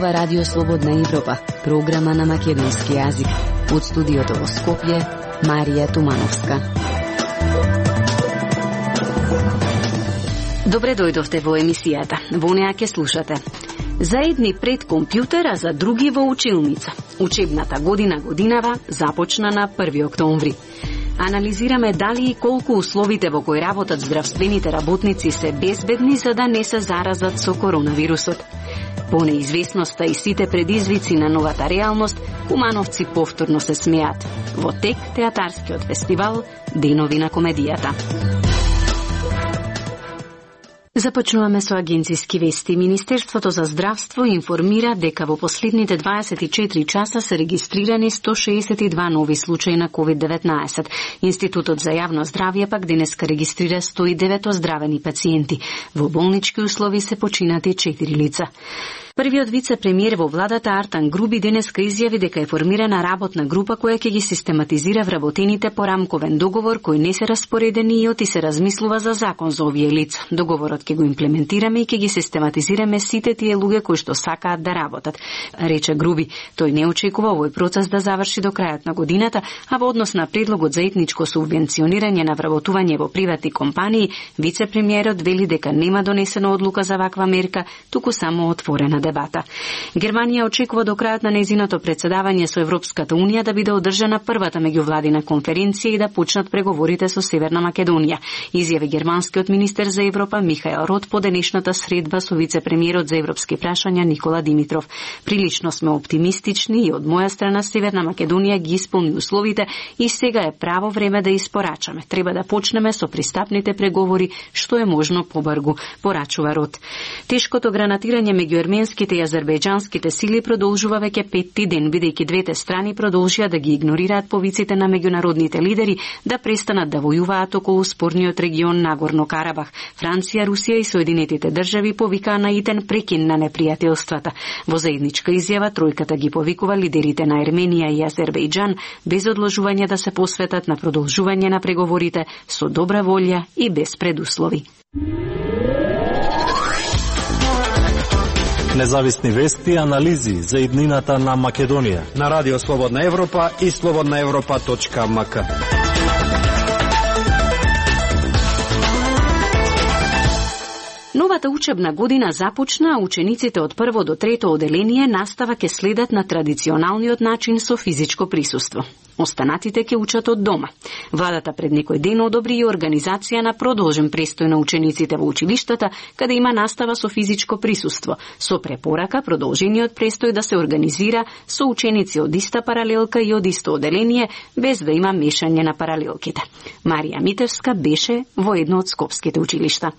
ова Радио Слободна Европа, програма на македонски јазик. Од студиото во Скопје, Марија Тумановска. Добре дојдовте во емисијата. Во неа ќе слушате: за едни пред компјутер, а за други во училница. Учебната годинава започна на 1 октомври. Анализираме дали и колку условите во кои работат здравствените работници се безбедни за да не се заразат со коронавирусот. По неизвестноста и сите предизвици на новата реалност, кумановци повторно се смеат. Во тек театарскиот фестивал Денови на комедијата. Започнуваме со агенциски вести. Министерството за здравство информира дека во последните 24 часа се регистрирани 162 нови случаи на COVID-19. Институтот за јавно здравје пак денеска регистрира 109 оздравени пациенти. Во болнички услови се починати 4 лица. Првиот вице-премиер во владата Артан Груби денеска изјави дека е формирана работна група која ќе ги систематизира вработените по рамковен договор кои не се распоредени и се размислува за закон за овие лица. Договорот ќе го имплементираме и ќе ги систематизираме сите тие луѓе кои што сакаат да работат, рече Груби. Тој не очекува овој процес да заврши до крајот на годината, а во однос на предлогот за етничко субвенционирање на вработување во приватни компании, вице-премиерот вели дека нема донесена одлука за ваква мерка, туку само отворена дебата. Германија очекува до крајот на нејзиното председавање со Европската Унија да биде одржана првата меѓувладина конференција и да почнат преговорите со Северна Македонија, изјави германскиот министер за Европа Михаел Рот по денешната средба со вице-премиерот за европски прашања Никола Димитров. Прилично сме оптимистични и од моја страна Северна Македонија ги исполни условите и сега е право време да испорачаме. Треба да почнеме со пристапните преговори што е можно побрзо, порачува Рот. Тешкото гранатирање меѓу ерменските и азербејџанските сили продолжува веќе 5-ти ден, бидејќи двете страни продолжија да ги игнорираат повиците на меѓународните лидери да престанат да војуваат околу спорниот регион Нагорно Карабах. Франција, Русија и Соединетите држави повикаа на итен прекин на непријателствата. Во заедничка изјава тројката ги повикува лидерите на Ерменија и Азербејџан без одложување да се посветат на продолжување на преговорите со добра волја и без предуслови. Независни вести и анализи за иднината на Македонија на Радио Слободна Европа и slobodnaevropa.mk. Новата учебна година започна, а учениците од прво до трето оделение настава ќе следат на традиционалниот начин со физичко присуство. Останатите ќе учат од дома. Владата пред некој ден одобри и организација на продолжен престој на учениците во училиштата, каде има настава со физичко присуство, со препорака продолжениот престој да се организира со ученици од иста паралелка и од исто оделение, без да има мешање на паралелките. Марија Митевска беше во едно од скопските училишта.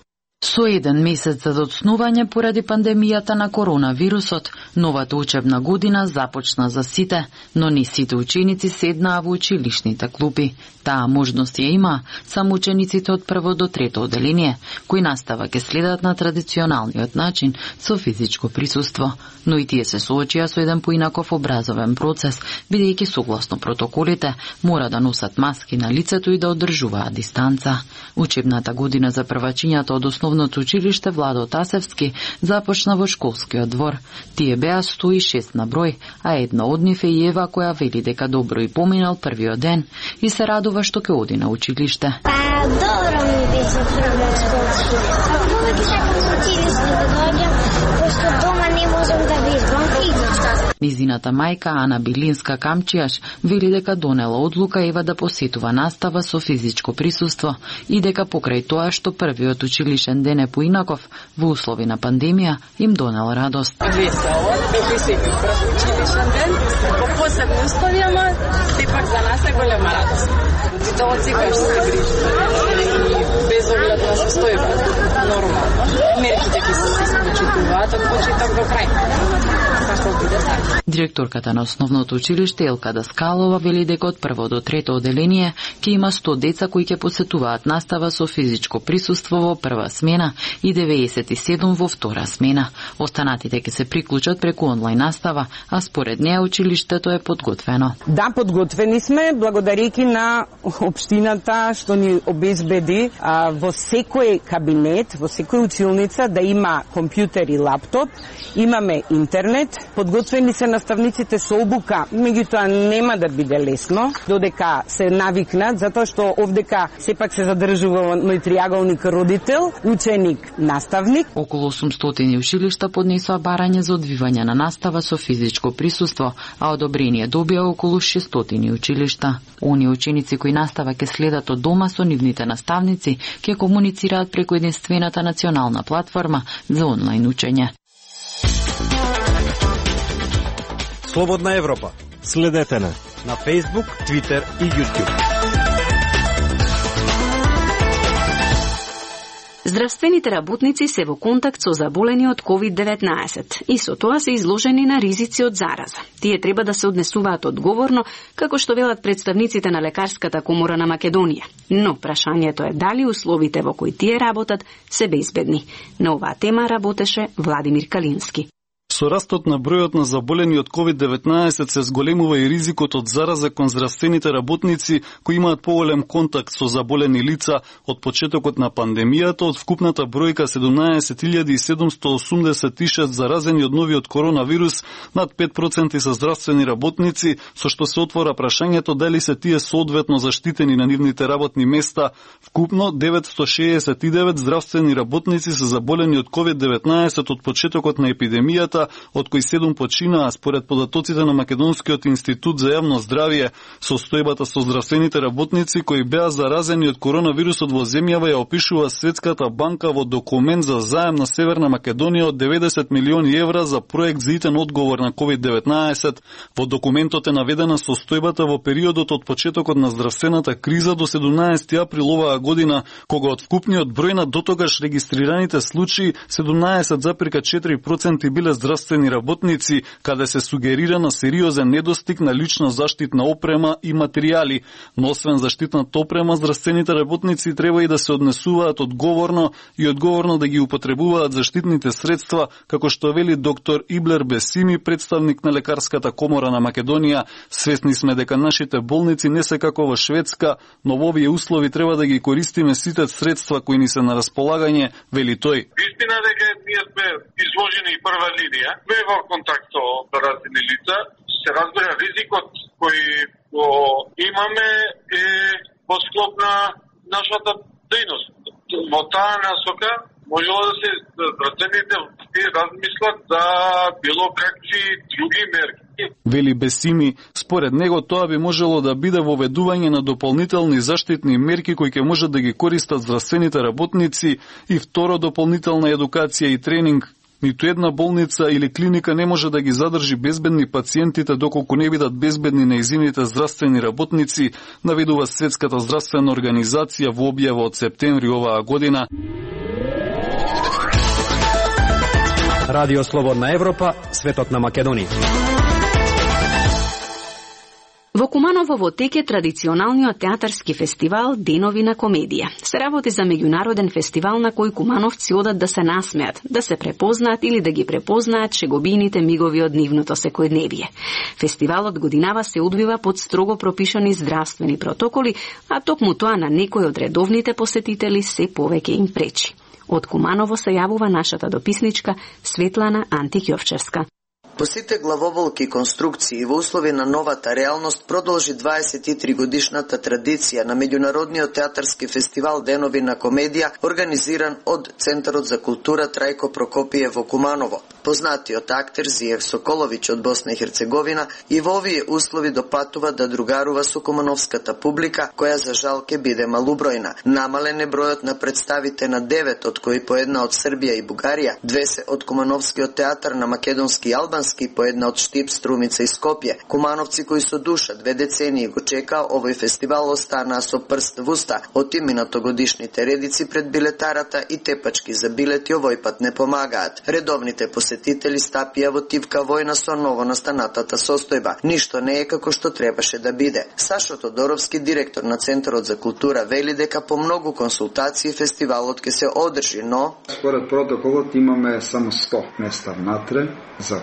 Со еден месец за доцнување поради пандемијата на коронавирусот, новата учебна година започна за сите, но не сите ученици седнаа во училишните клупи. Таа можност ја има само учениците од прво до трето оделение, кои настава ќе следат на традиционалниот начин со физичко присуство. Но и тие се соочија со еден поинаков образовен процес, бидејќи согласно протоколите мора да носат маски на лицето и да одржуваат дистанца. Учебната година за првачињата од основното училиште Владо Тасевски започна во школскиот двор. Тие беа 106 на број, а една од нив е и Ева, која вели дека добро и поминал првиот ден и се радува што ќе оди на училиште. Добро ми беше првиот школски. Повеќе сакам во училиште да дојдам, пошто дома не можам да вежбам физичко. Низината мајка Ана Билинска Камчијаш вели дека донела одлука Ева да посетува настава со физичко присуство и дека покрај тоа што првиот училишен ден е поинаков во услови на пандемија им донел радост. Весело, да посетим прв училишен ден, по посебни услови, ама сепак за нас е голема радост. Учителот секогаш се грижи и без оглед на состојба, нормално. Мерките ќе се спочитуваат од почеток до крај. Директорката на основното училиште Елка Даскалова вели дека од прво до трето оделение ќе има 100 деца кои ќе посетуваат настава со физичко присуство во прва смена и 97 во втора смена. Останатите ќе се приклучат преку онлайн настава, а според неа училиштето е подготвено. Да, подготвени сме, благодарејќи на општината што ни обезбеди во секој кабинет, во секој училница да има компјутер и лаптоп, имаме интернет, подготвени се наставниците со обука, меѓутоа нема да биде лесно, додека се навикнат, затоа што овдека сепак се задржува мој триаголник родител, ученик, наставник. Околу 800 училишта поднесоа барање за одвивање на настава со физичко присуство, а одобрение добија околу 600 училишта. Оние ученици кои настава ќе следат од дома со нивните наставници, ќе комуницираат преку единствената национална платформа за онлайн учење. Слободна Европа. Следете на Facebook, Twitter и YouTube. Здравствените работници се во контакт со заболени од COVID-19 и со тоа се изложени на ризици од зараза. Тие треба да се однесуваат одговорно, како што велат представниците на Лекарската комора на Македонија. Но прашањето е дали условите во кои тие работат се безбедни. На оваа тема работеше Владимир Калински. Со растот на бројот на заболени од COVID-19 се зголемува и ризикот од зараза кон здравствените работници кои имаат поголем контакт со заболени лица од почетокот на пандемијата. Од вкупната бројка 17.786 заразени од новиот коронавирус, над 5% се здравствени работници, со што се отвора прашањето дали се тие соодветно заштитени на нивните работни места. Вкупно 969 здравствени работници се заболени од COVID-19 од почетокот на епидемијата, од кои 7 починаа според податоците на Македонскиот институт за јавно здравје. Состојбата со здравствените работници кои беа заразени од коронавирусот во земјава ја опишува Светската банка во документ за заем на Северна Македонија од 90 милиони евра за проект за итен одговор на COVID-19. Во документот е наведена состојбата во периодот од почетокот на здравствената криза до 17 април оваа година, кога од вкупниот број на дотогаш регистрираните случаи 17,4% биле здравствени работници, каде се сугерира на сериозен недостиг на лична заштитна опрема и материјали. Но освен заштитната опрема, здравствените работници треба и да се однесуваат одговорно и одговорно да ги употребуваат заштитните средства, како што вели доктор Иблер Бесими, представник на Лекарската комора на Македонија. Свесни сме дека нашите болници не се како во Шведска, но во овие услови треба да ги користиме сите средства кои ни се на располагање, вели тој. Истина дека ние сме изложени прва линија, сме во контакт со заразени лица, се разбира ризикот кој го имаме е во склоп на нашата дејност. Во таа насока можело да се здравствените размислат за било какви други мерки. Вели Бесими, според него тоа би можело да биде воведување на дополнителни заштитни мерки кои ќе може да ги користат здравствените работници и второ дополнителна едукација и тренинг. Ниту една болница или клиника не може да ги задржи безбедни пациентите доколку не бидат безбедни нејзините здравствени работници, наведува Светската здравствена организација во објава од септември оваа година. Радио Слободна Европа, светот на Македонија. Во Куманово во теке традиционалниот театарски фестивал Денови на комедија. Се работи за меѓународен фестивал на кој кумановци одат да се насмеат, да се препознаат или да ги препознаат шегобините мигови од нивното секојдневие. Фестивалот годинава се одвива под строго пропишани здравствени протоколи, а токму тоа на некој од редовните посетители се повеќе им пречи. Од Куманово се јавува нашата дописничка Светлана Антиќовчевска. По сите главоболки конструкции во услови на новата реалност продолжи 23 годишната традиција на меѓународниот театарски фестивал Денови на комедија, организиран од Центарот за култура Трајко Прокопије во Куманово. Познатиот актер Зијех Соколовиќ од Босна и Херцеговина и во овие услови допатува да другарува со кумановската публика, која за жал ќе биде малубројна. Намален е бројот на представите на 9, од кои по една од Србија и Бугарија, 2 се од Кумановскиот театар на македонски и албански, по една од Штип, Струмица и Скопје. Кумановци кои со душа 2 децении го чекаа овој фестивал останаа со прст в уста од минатогодишните редици пред билетарата и тепачки за билети овој пат не помагаат. Редовните посетители стапија во тивка војна со новонастанатата состојба. Ништо не е како што требаше да биде. Сашо Тодоровски, директор на Центарот за култура, вели дека по многу консултации фестивалот ќе се одржи, но според протоколот имаме само 100 места внатре за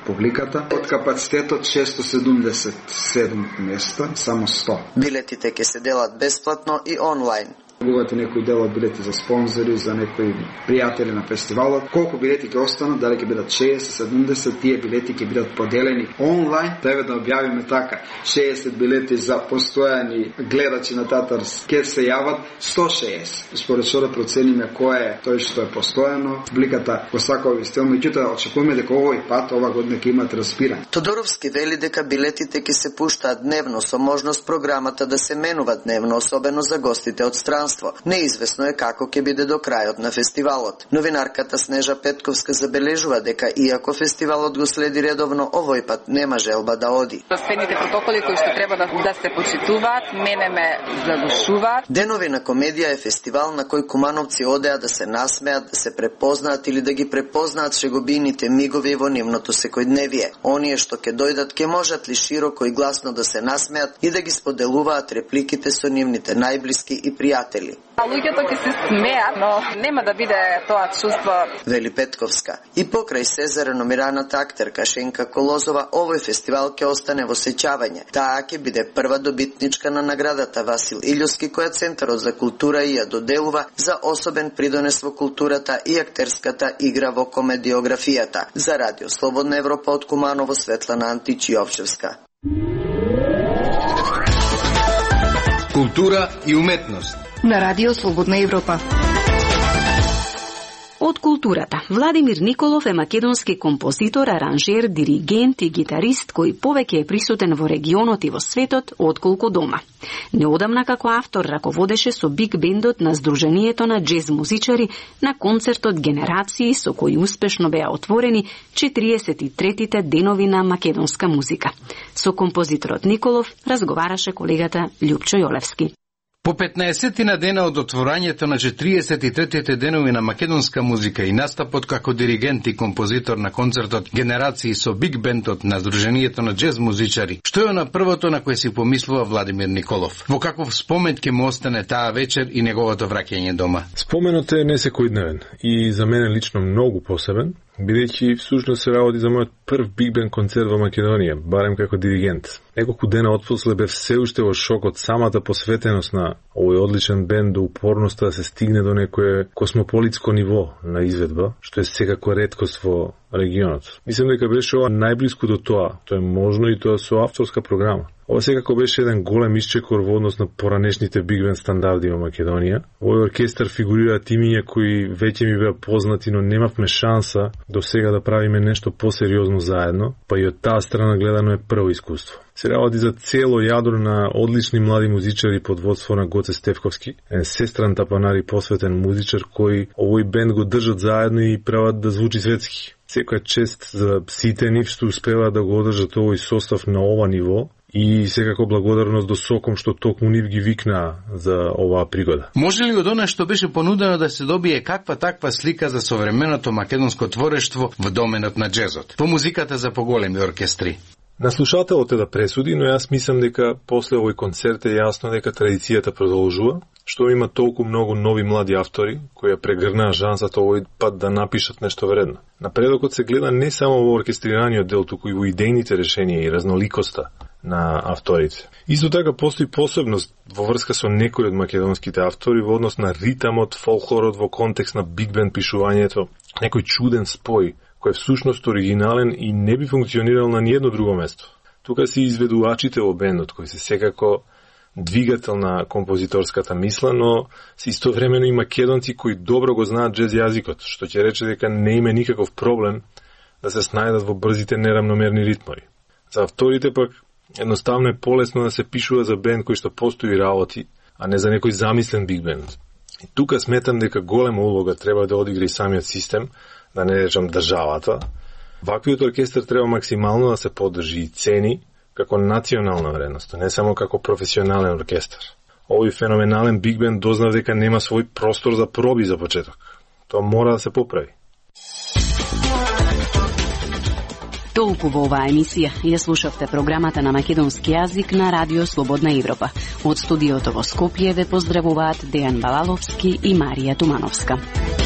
публиката. Од капацитетот 677 места, само 100. Билетите ќе се делат бесплатно и онлайн. Купувате некој дел од билети за спонзори, за некои пријатели на фестивалот. Колку билети ќе останат, дали ќе бидат 60, 70, тие билети ќе бидат поделени онлайн. Треба да објавиме така. 60 билети за постојани гледачи на Татарс ќе се јават 160. Според што да процениме кој е тој што е постојано, публиката го сакува стил, меѓутоа очекуваме дека овој пат ова година ќе имат распирање. Тодоровски вели дека билетите ќе се пуштаат дневно со можност програмата да се менува дневно, особено за гостите од странство. Неизвестно е како ќе биде до крајот на фестивалот. Новинарката Снежа Петковска забележува дека иако фестивалот го следи редовно, овој пат нема желба да оди. Следните протоколи кои што треба да се почитуваат, мене ме задушуваат. Денови на комедија е фестивал на кој кумановци одеа да се насмеат, да се препознаат или да ги препознаат шегобините мигови во нивното секојдневие. Оние што ќе дојдат ќе можат ли широко и гласно да се насмеат и да ги споделуваат репликите со нивните најблиски и пријатели. Луѓето ќе се смеат, но нема да биде тоа чувство. Вели Петковска. И покрај се за реномираната актерка Шенка Колозова, овој фестивал ќе остане во сеќавање. Таа ќе биде прва добитничка на наградата Васил Илјовски, која Центарот за култура ја доделува за особен придонес во културата и актерската игра во комедиографијата. За Радио Слободна Европа од Куманово, Светлана Античиовчевска. Култура и уметност на Радио Слободна Европа. Од културата, Владимир Николов е македонски композитор, аранжер, диригент и гитарист кој повеќе е присутен во регионот и во светот отколку дома. Неодамна како автор раководеше со биг бендот на Сдруженијето на џез музичари на концертот Генерации, со кој успешно беа отворени 43-тите денови на македонска музика. Со композиторот Николов разговараше колегата Љупчо Јолевски. По 15 дена од отворањето на 43-тите денови на македонска музика и настапот како диригент и композитор на концертот Генерации со биг бендот на Сдруженијето на џез музичари, што е на првото на кое си помислува Владимир Николов? Во каков спомен ќе му остане таа вечер и неговото враќање дома? Споменот е несекојдневен и за мене лично многу посебен, бидејќи всушност се работи за мојот прв биг бенд концерт во Македонија, барем како диригент. Неколку дена отпосле бев се уште во шок од самата посветеност на овој одличен бенд, до упорноста да се стигне до некое космополитско ниво на изведба, што е секако реткост во регионот. Мислам дека беше ова најблиску до тоа. Тоа е можно и тоа со авторска програма. Ова секако беше еден голем исчекор во однос на поранешните биг бенд стандарди во Македонија. Овој оркестар фигурираат имиња кои веќе ми беа познати, но немавме шанса до сега да правиме нешто посериозно заедно, па и од таа страна гледано е прво искуство. Се работи за цело јадро на одлични млади музичари под водство на Гоце Стефковски, сестран тапанар и посветен музичар кој овој бенд го држат заедно и прават да звучи светски. Секоја чест за сите нив што успеваат да го одржат овој состав на ова ниво и секако благодарност до Соком што токму нив ги викнаа за оваа пригода. Може ли од она што беше понудено да се добие каква таква слика за современото македонско творештво во доменот на џезот, по музиката за поголеми оркестри? На слушателот е да пресуди, но јас мислам дека после овој концерт е јасно дека традицијата продолжува, што има толку многу нови млади автори кои ја прегрнаа шансата овој пат да напишат нешто вредно. Напредокот се гледа не само во оркестрираниот дел, туку и во идејните решенија и разноликоста на авторите. Исто така постои посебност во врска со некои од македонските автори во однос на ритамот, фолклорот во контекст на биг бенд пишувањето, некој чуден спој кој е всушност оригинален и не би функционирал на ниедно друго место. Тука се изведувачите во бендот, кои се секако двигател на композиторската мисла, но се истовремено и македонци кои добро го знаат џез јазикот, што ќе рече дека не има никаков проблем да се снајдат во брзите неравномерни ритмови. За авторите пак едноставно е полесно да се пишува за бенд кој што постои работи, а не за некој замислен биг бенд. И тука сметам дека голема улога треба да одигра и самиот систем, да не речам државата. Ваквиот оркестар треба максимално да се поддржи и цени како национална вредност, не само како професионален оркестар. Овој феноменален биг бенд дознав дека нема свој простор за проби за почеток. Тоа мора да се поправи. Толку во оваа емисија ја слушавте програмата на македонски јазик на Радио Слободна Европа. Од студиото во Скопје ве поздравуваат Дејан Балаловски и Марија Тумановска.